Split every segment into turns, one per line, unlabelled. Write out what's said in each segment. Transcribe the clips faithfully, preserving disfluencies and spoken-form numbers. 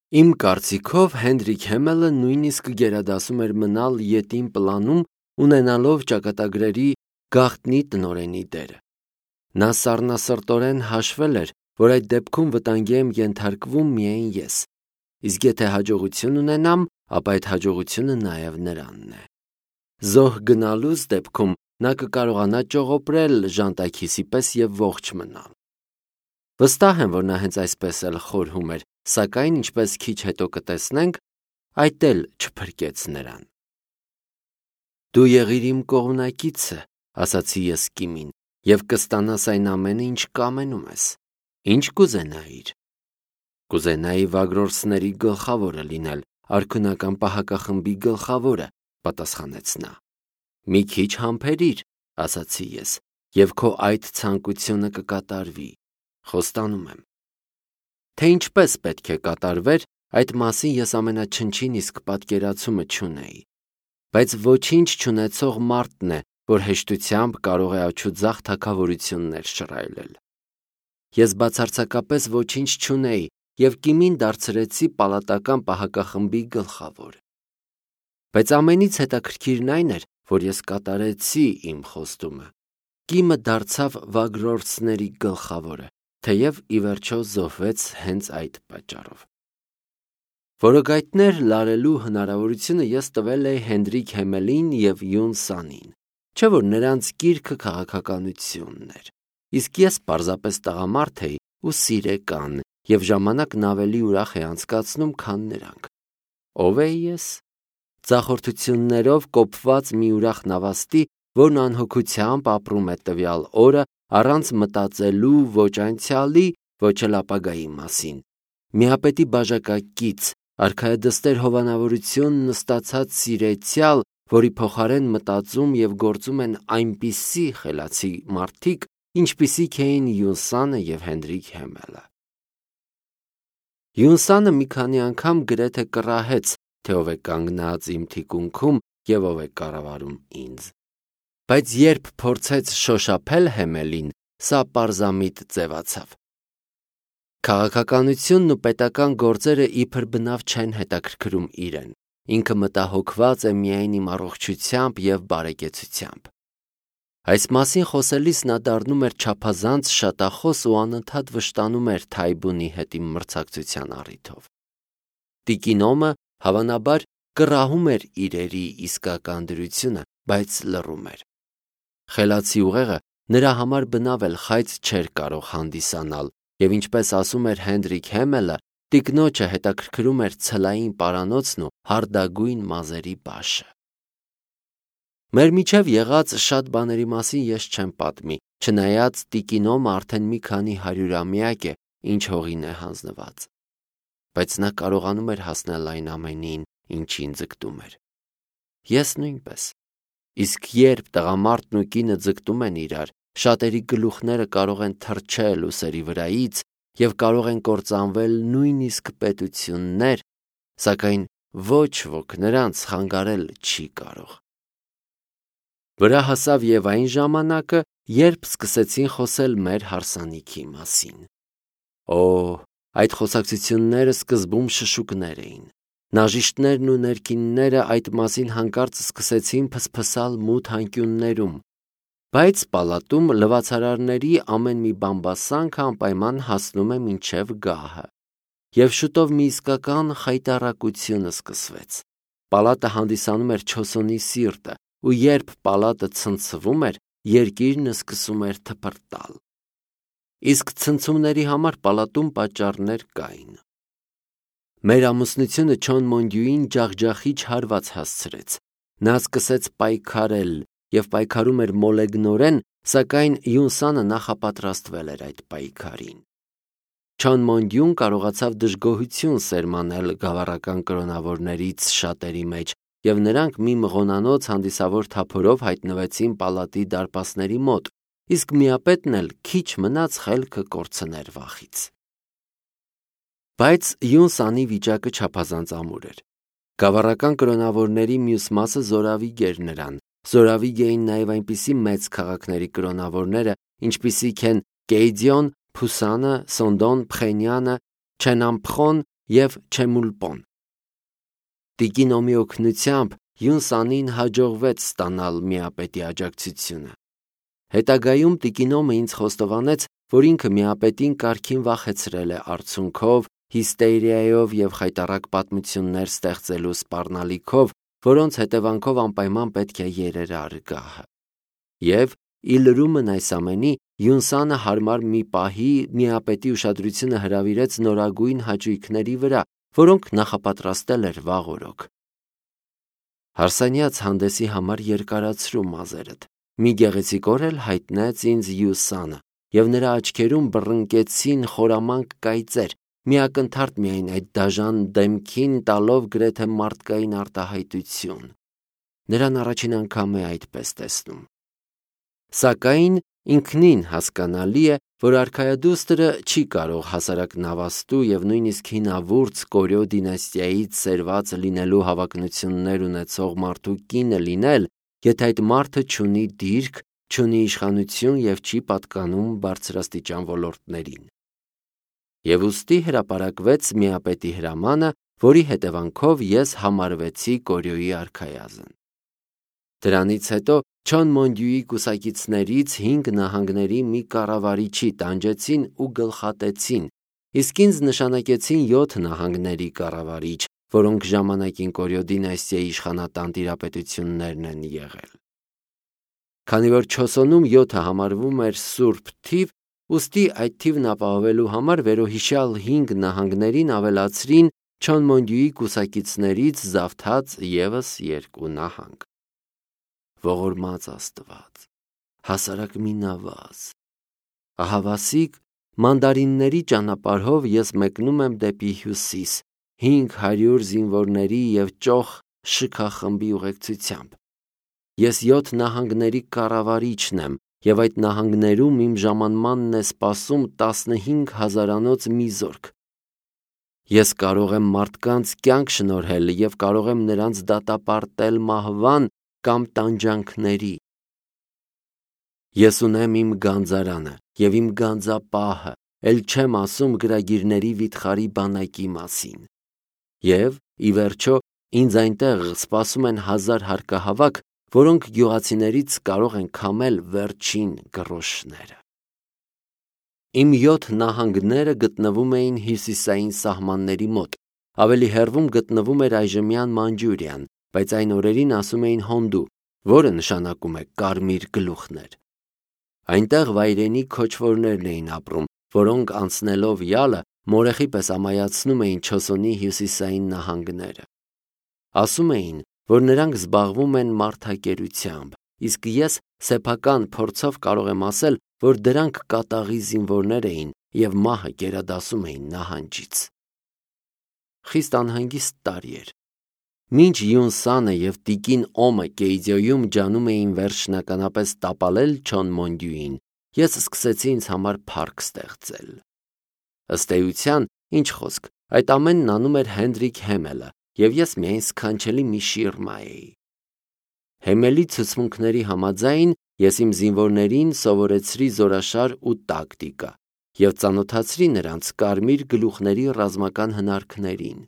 Իմ կարծիքով Հենրիկ Հեմելը նույնիսկ գերադասում էր մնալ ետին պլանում, ունենալով ճակատագրերի գաղտնի տնօրենի դերը։ Նա սառնասրտորեն հաշվել էր, որ այդ դեպքում վտանգի եմ ենթարկվում միայն ես, իսկ եթե հաջողություն ունենամ, ապա այդ հաջողությունը նաև նրանն է։ Զոհ գնալուց դեպքում նա կկարողանա ճողոպրել ժանտաքիսի պես և ողջ մնալ։ Վստահ եմ, որ նա հենց այսպես էլ խորհում էր, սակայն, ինչպես քիչ հետո կտեսնենք, այդ էլ չփրկեց նրան։ Դու եղիր իմ կողմնակիցը, ասացի ես Կիմին, և կստանաս այն ամենը, ինչ կամենում ես։ Ինչ կուզենայիր։ Կուզենայի Վագրորսների գլխավորը լինել, արքունական պահակախմբի գլխավորը, պատասխանեց նա։ Մի քիչ համբերիր, ասացի ես, և քո այդ ցանկությունը կկատարվի, խոստանում եմ։ Թե ինչպես պետք է կատարվեր, այդ մասին ես ամենաչնչին իսկ պատկերացումը չունեի, բայց ոչինչ չունեցող մարդն է, որ հեշտությամբ կարող է աջուձախ թագավորություններ շռայլել։ Ես բացարձակապես ոչինչ չունեի և Կիմին դարձրեցի պալատական պահակախմբի գլխավոր։ Բայց ամենից հետաքրքիրն այն էր, որ ես կատարեցի իմ խոստումը։ Կիմը դարձավ Վագրորսների գլխավորը, թեև ի վերջո զոհվեց հենց այդ պատճառով։ Որոգայթներ լարելու հնարավորությունը ես տվել էի Հենրիկ Հեմելին և Յուն Սանին, չէ՞ որ նրանց գիրքը քաղաքականությունն էր, իսկ ես պարզապես տղամարդ էի ու սիրեկան, և ժամանակն ավելի ուրախ էի անցկացնում, քան նրանք։ Ո՞վ էի ես։ Ձախորդություններով կոփված մի ուրախ նավաստի, որն անհոգությամբ ապրում է տվյալ օրը, առանց մտածելու ոչ անցյալի, ոչ էլ ապագայի մասին։ Միապետի բաժակակից, արքայադստեր հովանավորություն նստացած սիրեցյալ, որի փոխարեն մտածում և գործում են այնպիսի խելացի մարդիկ, ինչպիսիք էին Յուն Սանը և Հենրիկ Հեմելը։ Յուն Սանը մի քանի անգամ գրեթե կռահեց, թե ով է կանգնած իմ թիկունքում և ով է կառավարում ինձ։ Բայց երբ փորձեց շոշափել Հեմելին, սա պարզամիտ ձևացավ։ Քաղաքականությունն ու պետական գործերը իբր բնավ չեն հետաքրքրում իրեն, ինքը մտահոգված է միայն իմ առողջությամբ և բարեկեցությամբ։ Այս մասին խոսելիս նա դառնում էր չափազանց շատախոս ու անընդհատ վշտանում էր Թայբունի հետ իմ մրցակցության առիթով։ Տիկին Օմը, հավանաբար, կռահում էր իրերի իսկական դրությունը, բայց լռում էր։ Խելացի ուղեղը նրա համար բնավ էլ խայծ չէր կարող հանդիսանալ, և ինչպես ասում էր Հենրիկ Հեմելը, տիկնոջը հետաքրքրում էր ցլային պարանոցն ու հարդագույն մազերի բաշը։ Մեր միջև եղած շատ բաների մասին ես չեմ պատմի, չնայած տիկին Օմը արդեն մի քանի հարյուրամյակ է, ինչ հողին է հանձնված։ Բայց նա կարողանում էր հասնել այն ամենին, ինչին ձգտում էր։ Ես նույնպես։ Իսկ երբ տղամարդն ու կինը ձգտում են իրար, շատերի գլուխները կարող են թռչել ուսերի վրայից և կարող են կործանվել նույնիսկ պետություններ, սակայն ոչ ոք նրանց խանգարել չի կարող։ Վրա հասավ և այն ժամանակը, երբ սկսեցին խոսել մեր հարսանիքի մասին։ Օ՜, այդ խոսակցությունները սկզբում շշուկներ էին։ Նաժիշտներն ու ներքինները այդ մասին հանկարծ սկսեցին փսփսալ մութ անկյուններում, բայց պալատում լվացարարների ամեն մի բամբասանքը անպայման հասնում է մինչև գահը։ Եվ շուտով մի իսկական խայտառակություն սկսվեց։ Պալատը հանդիսանում էր չոսոնի սիրտը, ու երբ պալատը ցնցվում էր, երկիրն սկսում էր թփրտալ։ Իսկ ցնցումների համար պալատում պատճառներ կային։ Մեր ամուսնությունը Չոն Մոնդյուին ջախջախիչ հարված հասցրեց։ Նա սկսեց պայքարել և պայքարում էր մոլեգնորեն, սակայն Յուն Սանը նախապատրաստվել էր այդ պայքարին։ Չոն Մոնդյուն կարողացավ դժգոհություն սերմանել գավառական կրոնավորներից շատերի մեջ, և նրանք մի մղոնանոց հանդիսավոր թափորով հայտնվեցին պալատի դարպասների մոտ, իսկ միապետն էլ քիչ մնաց խելքը կորցներ վախից։ Բայց Յուն Սանի վիճակը չափազանց ամուր էր։ Գավառական կրոնավորների մյուս մասը զորավիգ էր նրան, զորավիգ էին նաև այնպիսի մեծ քաղաքների կրոնավորները, ինչպիսիք են Կեյդիոն, Փուսանը, Սոնդոն, Փխենյանը, Չենամփխոն և Չեմուլպոն։ Տիկին Օմի օգնությամբ Յուն Սանին հաջողվեց ստանալ միապետի աջակցությունը։ Հետագայում տիկին Օմը ինձ խոստովանեց, որ ինքը միապետին կարգին վախեցրել է արցունքով, հիստերիայով և խայտառակ պատմություններ ստեղծելու սպառնալիքով, որոնց հետևանքով անպայման պետք է երեր արգահը։ Եվ ի լրումն այս ամենի, Յուն Սանը հարմար մի պահի միապետի ուշադրությունը հրավիրեց նորագույն հաճույքների վրա, որոնք նախապատրաստել էր վաղ օրոք։ Հարսանյաց հանդեսի համար երկարացրու մազերդ։ Մի գեղեցիկ օր էլ հայտնեց ինձ Յուն Սանը, և նրա աչքերում բռնկեցին խորամանկ կայծեր, միակնթարթ միայն այդ դաժան դեմքին տալով գրեթե մարդկային արտահայտություն։ Նրան առաջին անգամ է այդպես տեսնում։ Սակայն ինքնին հասկանալի է, որ արքայադուստրը չի կարող հասարակ նավաստու և նույնիսկ հինավուրց Կորյո դինաստիայից սերված լինելու հավակնություններ ունեցող մարդու կինը լինել, եթե այդ մարդը չունի դիրք, չունի իշխանություն և չի պատկանում բարձրաստիճան ոլորտներին։ Եվ ուստի հրապարակվեց միապետի հրամանը, որի հետևանքով ես համարվեցի Կորյոյի արքայազն։ Դրանից հետո Չոն Մոնդյուի կուսակիցներից հինգ նահանգների մի կառավարիչի տանջեցին ու գլխատեցին, իսկ ինձ նշանակեցին յոթ նահանգների կառավարիչ, որոնք ժամանակին Կորյո դինաստիայի իշխանատան տիրապետություններն են եղել։ Քանի որ Չոսոնում յոթը համարվում էր սուրբ թիվ, ուստի այդ թիվն ապահովելու համար վերոհիշյալ հինգ նահանգներին ավելացրին Չոն Մոնդյուի կուսակիցներից զավթած ևս երկու նահանգ։ Ողորմած Աստված, հասարակ մի նավազ։ Ահավասիկ մանդարինների ճանապարհով ես մեկնում եմ դեպի հյուսիս, հինգ հարյուր զինվորների և ճոխ շքախմբի ուղեկցությամբ։ Ես յոթ նահանգների կառավարիչն եմ, և այդ նահանգներում իմ ժամանմանն է սպասում տասնհինգ հազարանոց մի զորք։ Ես կարող եմ մարդկանց կյանք շնորհել և կարող եմ նրանց դատապարտել մահվան կամ տանջանքների։ Ես ունեմ իմ գանձարանը և իմ գանձապահը, էլ չեմ ասում գրագիրների վիթխարի բանակի մասին։ Եվ, ի վերջո, ինձ այնտեղ սպասում են հազար հարկահավաք, որոնք գյուղացիներից կարող են քամել վերջին գրոշները։ Իմ յոթ նահանգները գտնվում էին հյուսիսային սահմանների մոտ, ավելի հեռվում գտնվում էր այժմյան Մանջուրիան, բայց այն օրերին ասում էին Հոնդու, որը նշանակում է կարմիր գլուխներ։ Այնտեղ վայրենի քոչվորներն էին ապրում, որոնք անցնելով յալը մորեխի պես ամայացնում էին Չոսոնի հյուսիսային նահանգները։ Ասում էին, որ նրանք զբաղվում են մարդակերությամբ, իսկ ես սեփական փորձով կարող եմ ասել, որ դրանք կատաղի զինվորներ էին և մահը գերադասում էին նահանջից։ Խիստ անհանգիստ տարի էր։ Մինչ Յուն Սանը և տիկին Օմը Կեյձյոյում ջանում էին վերջնականապես տապալել Չոն Մոնդյուին, ես սկսեցի ինձ համար փառք ստեղծել։ Ըստ էության, ինչ խոսք, այդ ամենն անում էր Հենրիկ Հեմելը, և ես միայն սքանչելի մի շիրմա էի։ Հեմելի ցուցմունքների համաձայն ես իմ զինվորներին սովորեցրի զորաշար ու տակտիկա և ծանոթացրի նրանց կարմիր գլուխների ռազմական հնարքներին։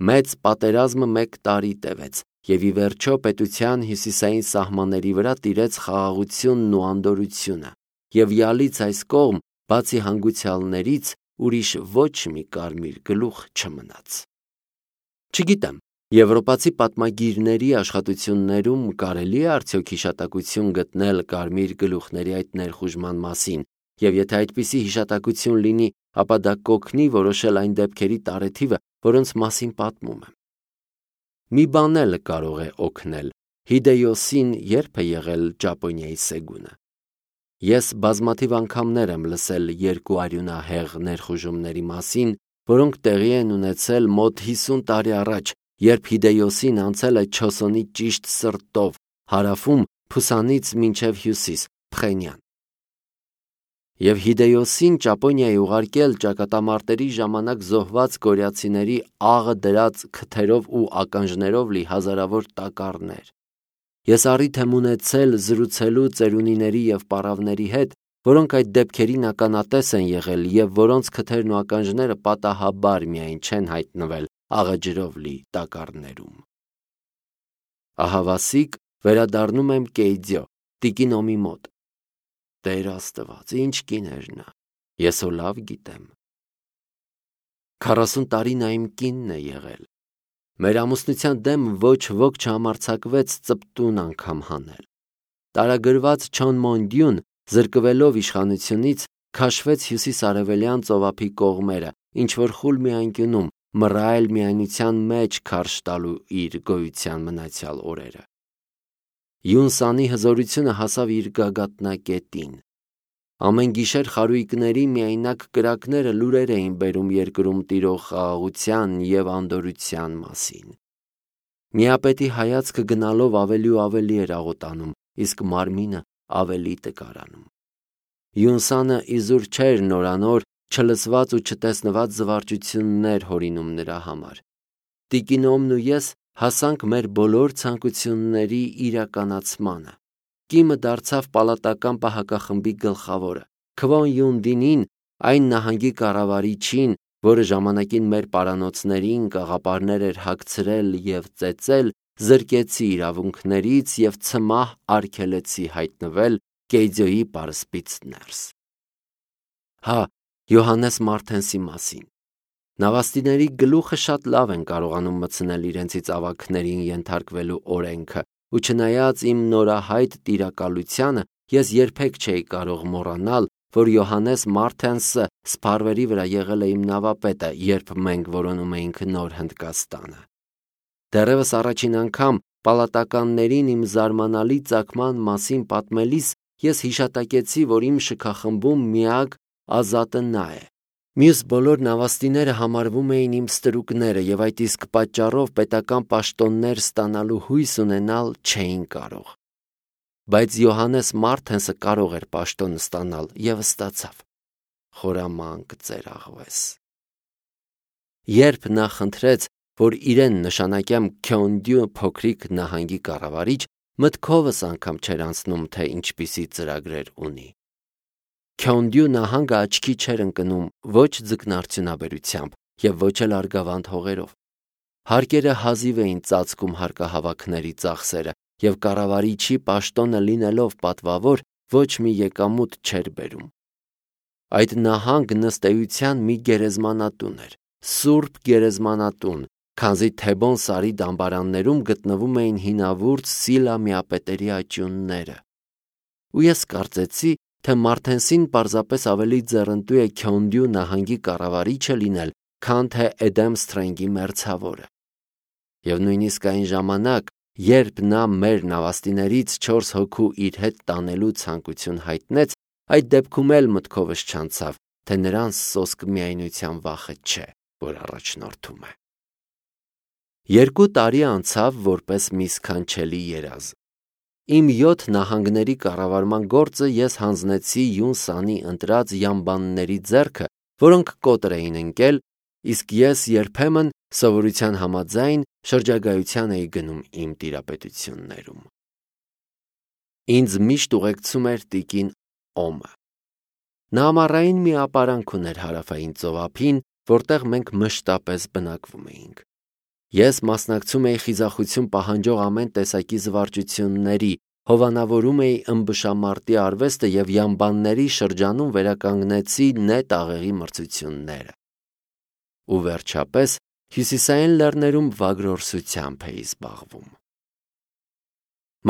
Մեծ պատերազմը մեկ տարի տևեց, և ի վերջո պետության հյուսիսային սահմանների վրա տիրեց խաղաղությունն ու անդորրությունը, և յալից այս կողմ, բացի հանգուցյալներից, ուրիշ ոչ մի կարմիր գլուխ չմնաց։ Չգիտեմ, եվրոպացի պատմագիրների աշխատություններում կարելի է արդյոք հիշատակություն գտնել կարմիր գլուխների այդ ներխուժման մասին, և եթե այդպիսի հիշատակություն լինի, ապա դա կօգնի որոշել այն դեպքերի տարեթիվը, որոնց մասին պատմում եմ։ Մի բան էլ կարող է օգնել. Հիդեյոսին ե՞րբ է եղել Ճապոնիայի սեգունը։ Ես բազմաթիվ անգամներ եմ լսել երկու արյունահեղ ներխուժումների մասին, որոնք տեղի են ունեցել մոտ հիսուն տարի առաջ, երբ Հիդեյոսին անցել է Չոսոնի ճիշտ սրտով, հարավում Փուսանից մինչև հյուսիս, Փխենյան։ Եվ Հիդեյոսին Ճապոնիա է ուղարկել ճակատամարտերի ժամանակ զոհված կորեացիների աղը դրած քթերով ու ականջներով լի հազարավոր տակառներ։ Ես առիթ եմ ունեցել զրուցելու ծերունիների և պառավների հետ որոնք այդ դեպքերին ականատես են եղել և որոնց քթերն ու ականջները պատահաբար միայն չեն հայտնվել աղաջրով լի տակառներում։ Ահավասիկ վերադառնում եմ Կեյձյո, տիկին Օմի մոտ։ Տեր Աստված, ինչ կին էր նա, ես հո լավ գիտեմ։ Քառասուն տարի նա իմ կինն է եղել։ Մեր ամուսնության դեմ ոչ ոք չհամարձակվեց ծպտուն անգամ հանել։ Տարագրված Չոնմոնդյուն, զրկվելով իշխանությունից, քաշվեց հյուսիս-արևելյան ծովափի կողմերը, ինչ-որ խուլ մի անկյունում, մռայլ միայնության մեջ քարշ տալու իր գոյության մնացյալ օրերը։ Յունսանի հզորությունը հասավ իր գագաթնակետին։ Ամեն գիշեր խարույկների միայնակ կրակները լուրեր էին բերում երկրում տիրող խաղաղության և անդորրության մասին։ Միապետի հայացքը գնալով ավելի ու ավելի էր աղոտանում, իսկ մարմինը ավելի տկարանում։ Յունսանը իզուր չէր նորանոր չլսված ու չտեսնված զվարճություններ հորինում նրա համար։ Տիկին Օմն ու ես հասանք մեր բոլոր ցանկությունների իրականացմանը։ Կիմը դարձավ պալատական պահակախմբի գլխավորը։ Քվոն Յուն Դինին, այն նահանգի կառավարիչին, որը ժամանակին մեր պարանոցներին կաղապարներ էր հագցրել և ծեծել, զրկեցի իրավունքներից և ցմահ արգելեցի հայտնվել Կեյձյոյի պարսպից ներս։ Հա, Յոհաննես Մարթենսի մասին։ Նավաստիների գլուխը շատ լավ են կարողանում մտցնել իրենցից ավագներին ենթարկվելու օրենքը, ու չնայած իմ նորահայտ տիրակալությանը, ես երբեք չէի կարող մոռանալ, որ Յոհաննես Մարթենսը սփարվերի վրա եղել է իմ նավապետը, երբ մենք որոնում էինք Նոր Հնդկաստանը։ Դեռևս առաջին անգամ պալատականներին իմ զարմանալի ծագման մասին պատմելիս ես հիշատակեցի, որ իմ շքախմբում միակ ազատը նա է։ Մյուս բոլոր նավաստիները համարվում էին իմ ստրուկները և այդ իսկ պատճառով պետական պաշտոններ ստանալու հույս ունենալ չէին կարող։ Բայց Յոհաննես Մարթենսը կարող էր պաշտոն ստանալ և ստացավ։ Խորամանկ ծերաղվես։ Երբ նա խնդրեց, որ իրեն նշանակեմ Քյոնդյու փոքրիկ նահանգի կառավարիչ, մտքովս անգամ չէր անցնում, թե ինչպիսի ծրագրեր ունի։ Քյոնդյու նահանգը աչքի չէր ընկնում ոչ ձկնարդյունաբերությամբ և ոչ էլ արգավանդ հողերով։ Հարկերը հազիվ էին ծածկում հարկահավաքների ծախսերը, և կառավարիչի պաշտոնը լինելով պատվավոր, ոչ մի եկամուտ չէր բերում։ Այդ նահանգն ըստ էության մի գերեզմանատուն էր, սուրբ գերեզմանատուն, քանզի Թեբոն սարի դամբարաններում գտնվում էին հինավուրց Սիլա միապետերի աճյունները։ Ու ես կարծեցի, թե Մարթենսին պարզապես ավելի ձեռնտու է Քյոնդյու նահանգի կառավարիչը լինել, քան թե Էդեմ Սթրենգի մերձավորը։ Եվ նույնիսկ այն ժամանակ, երբ նա մեր նավաստիներից չորս հոգու իր հետ տանելու ցանկություն հայտնեց, այդ դեպքում էլ մտքովս չանցավ, թե նրան սոսկ միայնության վախը չէ, որ առաջնորդում է։ Երկու տարի անցավ որպես մի սքանչելի երազ։ Իմ յոթ նահանգների կառավարման գործը ես հանձնեցի Յունսանի ընտրած յամբանների ձեռքը, որոնք կոտր էին ընկել, իսկ ես երբեմն սովորության համաձայն շրջագայության էի գնում իմ տիրապետություններում։ Ինձ միշտ ուղեկցում էր տիկին Օմը։ Նա ամառային մի ապարանք ուներ հարավային ծովափին, որտեղ մենք մշտապես բնակվում էինք։ Ես մասնակցում էի խիզախություն պահանջող ամեն տեսակի զվարճությունների, հովանավորում էի ըմբշամարտի արվեստը և յամբանների շրջանում վերականգնեցի նետ աղեղի մրցությունները։ Ու վերջապես հյուսիսային լեռներում վագրորսությամբ էի զբաղվում։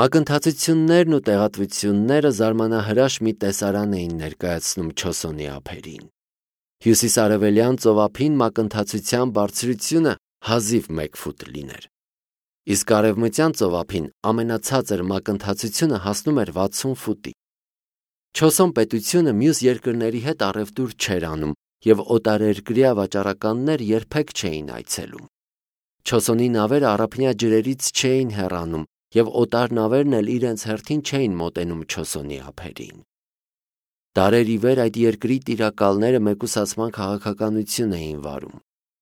Մակընթացություններն ու տեղատվությունները զարմանահրաշ մի տեսարան էին ներկայացնում Չոսոնի ափերին։ Հյուսիսարևելյան ծովափին մակընթացության բարձրությունը հազիվ մեկ ֆուտ լիներ, իսկ արևմտյան ծովափին ամենացածր մակընթացությունը հասնում էր վաթսուն ֆուտի։ Չոսոն պետությունը մյուս երկրների հետ առևտուր չէր անում, և օտարերկրյա վաճառականներ երբեք չէին այցելում։ Չոսոնի նավերը առափնյա ջրերից չէին հեռանում, և օտար նավերն էլ իրենց հերթին չէին մոտենում Չոսոնի ափերին։ Դարեր ի վեր այդ երկրի տիրակալները մեկուսացման քաղաքականություն էին վարում։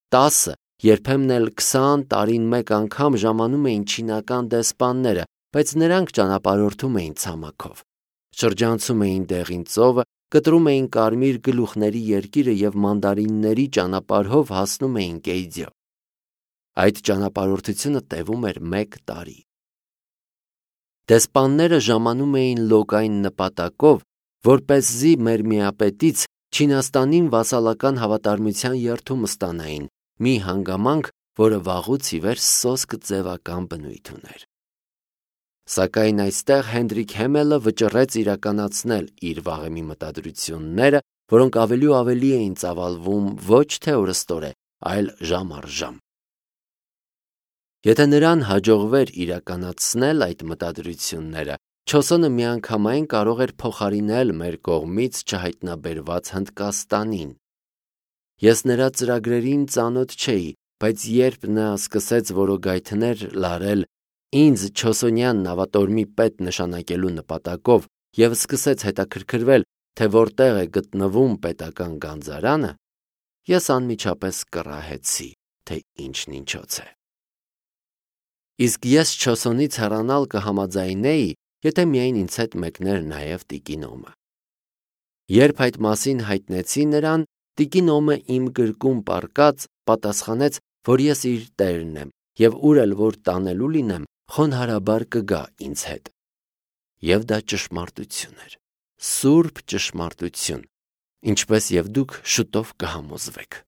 Տասը, երբեմն էլ քսան տարին մեկ անգամ ժամանում էին չինական դեսպանները, բայց նրանք ճանապարհորդում էին ցամաքով, շրջանցում էին Դեղին ծովը կտրում էին կարմիր գլուխների երկիրը և մանդարինների ճանապարհով հասնում էին Կեյձյո։ Այդ ճանապարհորդությունը տևում էր մեկ տարի։ Դեսպանները ժամանում էին լոկային նպատակով, որպեսզի մեր միապետից Չինաստանին վասալական հավատարմության երդում ստանային, մի հանգամանք, որը վաղուց ի վեր սոսկ ձևական բնույթ ուներ։ Սակայն այստեղ Հենրիկ Հեմելը վճռեց իրականացնել իր վաղեմի մտադրությունները, որոնք ավելի ու ավելի էին ծավալվում ոչ թե օրըստօրե, այլ ժամ առ ժամ։ Եթե նրան հաջողվեր իրականացնել այդ մտադրությունները, Չոսոնը միանգամայն կարող էր փոխարինել մեր կողմից չհայտնաբերված Հնդկաստանին։ Ես նրա ծրագրերին ծանոթ չէի, բայց երբ նա սկսեց որոգայթներ լարել ինձ Չոսոնյան նավատորմի պետ նշանակելու նպատակով և սկսեց հետաքրքրվել, թե որտեղ է գտնվում պետական գանձարանը, ես անմիջապես կռահեցի, թե ինչն ինչոց է։ Իսկ ես Չոսոնից հեռանալ կհամաձայնեի, եթե միայն ինձ հետ մեկներ նաև տիկին Օմը։ Երբ այդ մասին հայտնեցի նրան, տիկին Օմը իմ գրկում պառկած պատասխանեց, որ ես իր տերն եմ և ուր էլ որ տանելու լինեմ, խոնարհաբար կգա ինձ հետ։ Եվ դա ճշմարտություն էր, սուրբ ճշմարտություն, ինչպես և դուք շուտով կհամոզվեք։